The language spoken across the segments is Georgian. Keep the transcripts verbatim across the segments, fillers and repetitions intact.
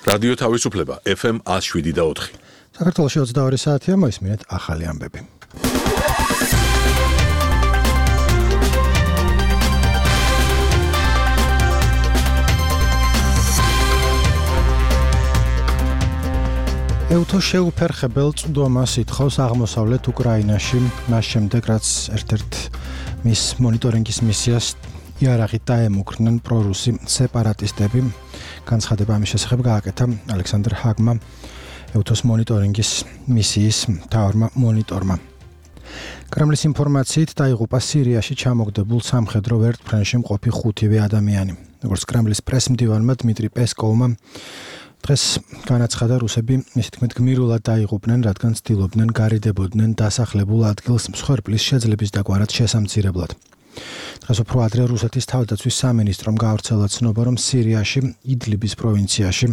რადიო თავისუფლება F M one oh seven და four. საქართველოში ოცდაორი საათია, მოისმინეთ ახალი ამბები. ევთო შეუფერხებელ წვდომას ითხოვს აღმოსავლეთ უკრაინაში, მას შემდეგ რაც ერთ-ერთ მის მონიტორინგის მისიას იარაღით დაემუქრნენ პრორუსი სეპარატისტები. განცხადება ამის შესახებ გააკეთა ალექსანდრ ჰაგმა, ევთოს მონიტორინგის მისიის მთავარმა მონიტორმა. კრემლის ინფორმაციით დაიღუპა სირიაში ჩამოგდებულ სამხედრო ვერტმფრენში მყოფი ხუთივე ადამიანი. როგორც კრემლის პრესმდივანმა დმიტრი პესკოვმა დღეს განაცხადა, რუსები მისი თქმით გმირულად დაიღუპნენ, რადგან ცდილობდნენ გარიდებოდნენ დასახლებულ ადგილს მსხვერპლის შეძლების დაგვარად შესამცირებლად. დღეს უფრო ადრე რუსეთის თავდაცვის სამინისტრომ გაავრცელა ცნობა, რომ სირიაში იდლიბის პროვინციაში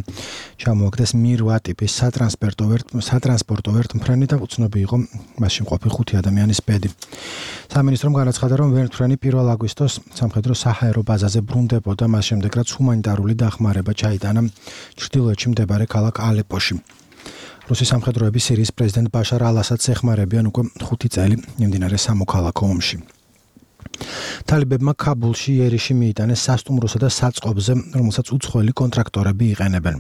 ჩამოაგდეს მი რვა ტიპის სატრანსპორტო სატრანსპორტო ვერტმფრენი და უცნობი იყო მასში მყოფი ხუთი ადამიანის ბედი. სამინისტრომ განაცხადა, რომ ვერტმფრენი პირველ აგვისტოს სამხედრო საჰაერო ბაზაზე ბრუნდებოდა, მას შემდეგ რაც ჰუმანიტარული დახმარება ჩაიტანა ჩრდილოეთში მდებარე ქალაქ ალეპოში. რუსი სამხედროები სირიის პრეზიდენტ ბაშარ ალ-ასადს ეხმარებიან უკვე ხუთი წელი მიმდინარე სამოქალაქო ომში. თალიბებმა ქაბულში იერიში მიიტანეს სასტუმროსა და საწყობზე, რომელსაც უცხოელი კონტრაქტორები იყენებენ.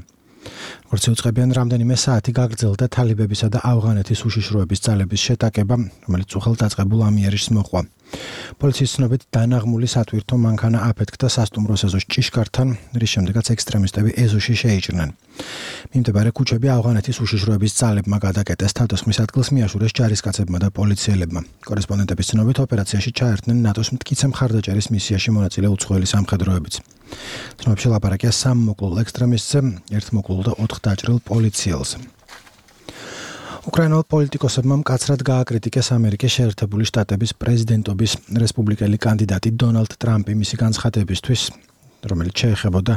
როგორც იუწყებიან, რამდენიმე საათი გაგრძელდა თალიბებისა და ავღანეთის უშიშროების ძალების შეტაკება, რომელიც უხელ დაწყებულ ამ იერიშს მოჰყვა. პოლიციის ცნობით დანაღმული სატვირთო მანქანა აფეთქდა სასტუმროს ეზოში ჭიშკართან, რის შემდეგაც ექსტრემისტები ეზოში შეიჭრნენ. მიმდებარე ქუჩები ავღანეთის უშიშროების ძალებმა გადაკეტეს, თავდასხმის ადგილს მიაშურეს ჯარისკაცებმა და პოლიციელებმა. კორესპონდენტების ცნობით ოპერაციაში ჩაერთნენ ნატოს მტკიცე მხარდაჭერის მისიაში მონაწილე უცხოელი სამხედროებიც. ცნობებში ლაპარაკია სამ მოკლულ ექსტრემისტზე, ერთ მოკლულ და ოთხ დაჭრილ პოლიციელზე. უკრაინელ პოლიტიკოსებმა მკაცრად გააკრიტიკეს ამერიკის შეერთებული შტატების პრეზიდენტობის რესპუბლიკელი კანდიდატი დონალდ ტრამპი მისი განცხადებისთვის, რომელიც შეეხებოდა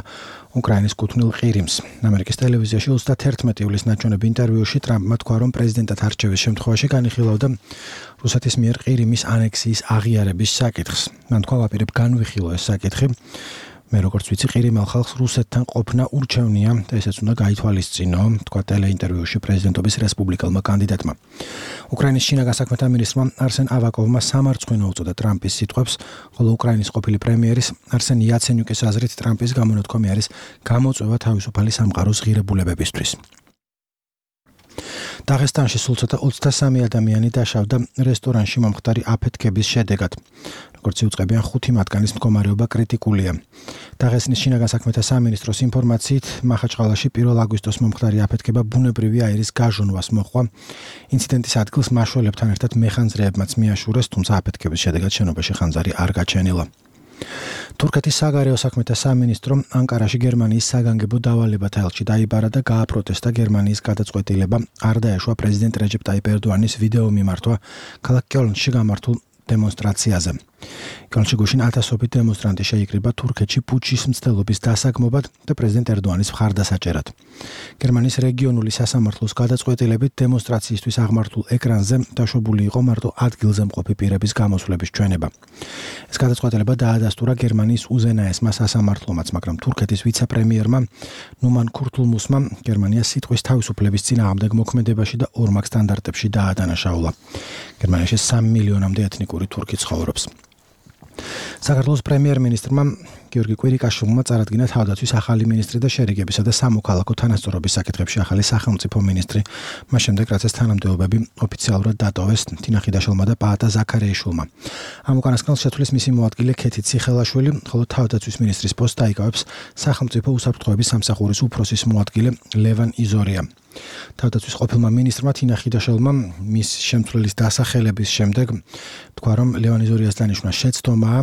უკრაინის კუთვნილ ყირიმს. ამერიკის ტელევიზიაში ოცდაათი ივლის ნაჩვენებ ინტერვიუში ტრამპმა თქვა, რომ პრეზიდენტად არჩევის შემთხვევაში განიხილავდა რუსეთის მიერ ყირიმის ანექსიის აღიარების საკითხს. მან თქვა, ვაპირებ განვიხილო ეს საკითხი. მე როგორც ვიცი, ყირიმელ ხალხს რუსეთთან ყოფნა ურჩევნია და ესეც უნდა გაითვალისწინო, თქვა ტელეინტერვიუში პრეზიდენტობის რესპუბლიკელმა კანდიდატმა. უკრაინის შინაგან საქმეთა მინისტრმა არსენ ავაკოვმა სამარცხვინო უწოდა ტრამპის სიტყვებს, ხოლო უკრაინის ყოფილი პრემიერის არსენ იაცენიუკის აზრით ტრამპის გამონათქვამი არის გამოწვევა თავისუფალი სამყაროს ღირებულებებისთვის. დაღესტანში სულ ცოტა ოცდასამი ადამიანი დაშავდა რესტორანში მომხდარი აფეთქების შედეგად. როგორც იუწყებიან, ხუთი მათგანის მდგომარეობა კრიტიკულია. დაღესტნის შინაგან საქმეთა სამინისტროს ინფორმაციით, მახაჩყალაში პირველ აგვისტოს მომხდარი აფეთქება ბუნებრივი აირის გაჟონვას მოჰყვა. ინციდენტის ადგილს მაშველებთან ერთად მეხანძრეებმაც მიაშურეს, თუმცა აფეთქების შედეგად შენობაში ხანძარი არ გაჩენილა. თურქეთის საგარეო საქმეთა სამინისტრო ანკარაში გერმანიის საგანგებო დავალებათა ელჩი დაიბარა და გააპროტესტა გერმანიის გადაწყვეტილება არ დაეშვა პრეზიდენტ რეჯეპ ტაიპ ერდოანის ვიდეო მიმართვა ქალაქ კელნში გამართულ დემონსტრაციაზე. კელნში გუშინ ათასობით დემონსტრანტი შეიკრიბა თურქეთში პუჩის მცდელობის დასაგმობად და პრეზიდენტ ერდოანის მხარდასაჭერად. გერმანიის რეგიონული სასამართლოს გადაწყვეტილებით დემონსტრაციისთვის აღმართულ ეკრანზე დაშვებული იყო მარტო ადგილზე მყოფი პირების გამოსვლების ჩვენება. ეს გადაწყვეტილება დაადასტურა გერმანიის უზენაესმა სასამართლომაც, მაგრამ თურქეთის ვიცე-პრემიერმა ნუმან ქურთულმუსმა გერმანიას სიტყვის თავისუფლების წინააღმდეგ მოქმედებაში და ორმაგ სტანდარტებში დაადანაშაულა. გერმანიაში სამი მილიონამდე ეთნიკური თურქი ცხოვრობს. საქართველოს პრემიერ-მინისტრმა გიორგი კვირიკაშვილმა წარადგინა თავდაცვის ახალი მინისტრი და შერიგებისა და სამოქალაქო თანასწორობის საკითხებში ახალი სახელმწიფო მინისტრი, მას შემდეგ რაც ეს თანამდებობები ოფიციალურად დატოვეს თინა ხიდაშვილმა და პაატა ზაქარიაშვილმა. ამ უკანასკნელს შეცვლის მისი მოადგილე ქეთი ციხელაშვილი, ხოლო თავდაცვის მინისტრის პოსტს დაიკავებს სახელმწიფო უსაფრთხოების სამსახურის უფროსის მოადგილე ლევან იზორია. თავდაცვის ყოფილმა მინისტრმა თინა ხიდაშვილმა მის შემცვლელის დასახელების შემდეგ თქვა, რომ ლევან იზორიას დანიშვნა შეცდომაა.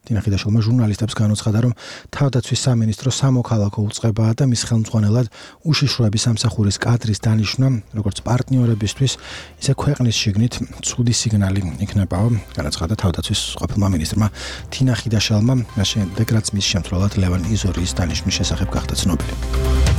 თინა ხიდაშვილმა ჟურნალისტებს განუცხადა, რომ თავდაცვის სამინისტრო სამოქალაქო უწყებაა და მის ხელმძღვანელად უშიშროების სამსახურის კადრის დანიშვნა, როგორც პარტნიორებისთვის, ისე ქვეყნის შიგნით ცუდი სიგნალი იქნებაო, განაცხადა თავდაცვის ყოფილმა მინისტრმა თინა ხიდაშვილმა, მას შემდეგ რაც მის შემცვლელად ლევან იზორიის დანიშვნის შესახებ გახდა ცნობილი.